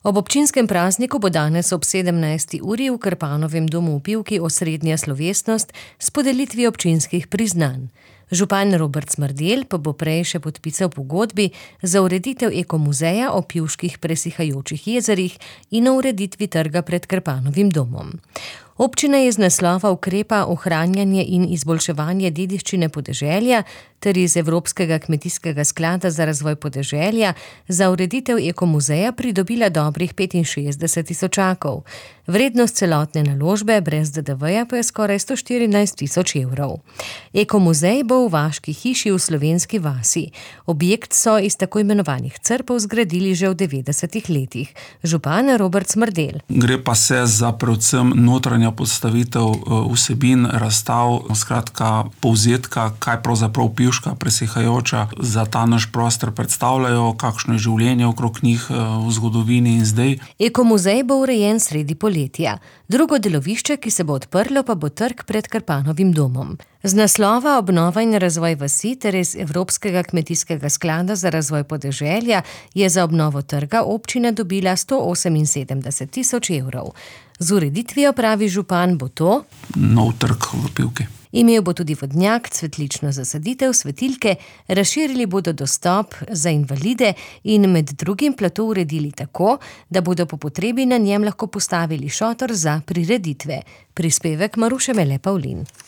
Ob občinskem prazniku bo danes ob 17. uri v Krpanovem domu v Pivki osrednja slovesnost s podelitvijo občinskih priznanj. Župan Robert Smrdelj pa bo prej še podpisal pogodbi za ureditev ekomuzeja o pivških presihajočih jezerih in o ureditvi trga pred Krpanovim domom. Občina je z naslova ukrepa ohranjanje in izboljševanje dediščine podeželja ter iz Evropskega kmetijskega sklada za razvoj podeželja za ureditev ekomuzeja pridobila dobrih 65 tisočakov. Vrednost celotne naložbe brez DDV-ja pa je skoraj 114 tisoč evrov. Ekomuzej bo v vaški hiši v Slovenski vasi. Objekt so iz tako imenovanih crpov zgradili že v 90-ih letih. Župan Robert Smrdelj. Gre pa se za predvsem notranja postavitev vsebin, razstav, skratka povzetka, kaj pravzaprav pivška presihajoča za ta naš prostor predstavljajo, kakšno je življenje okrog njih v zgodovini in zdaj. Ekomuzej bo urejen sredi poletja. Drugo delovišče, ki se bo odprlo, pa bo trg pred Krpanovim domom. Z naslova obnova in razvoj vasi ter iz Evropskega kmetijskega sklada za razvoj podeželja je za obnovo trga občina dobila 178 tisoč evrov. Z ureditvijo, pravi župan, bo to nov trg v Pivki. Imel bo tudi vodnjak, cvetlično zasaditev, svetilke, razširili bodo dostop za invalide in med drugim plato uredili tako, da bodo po potrebi na njem lahko postavili šotor za prireditve. Prispevek Maruše Mele Pavlin.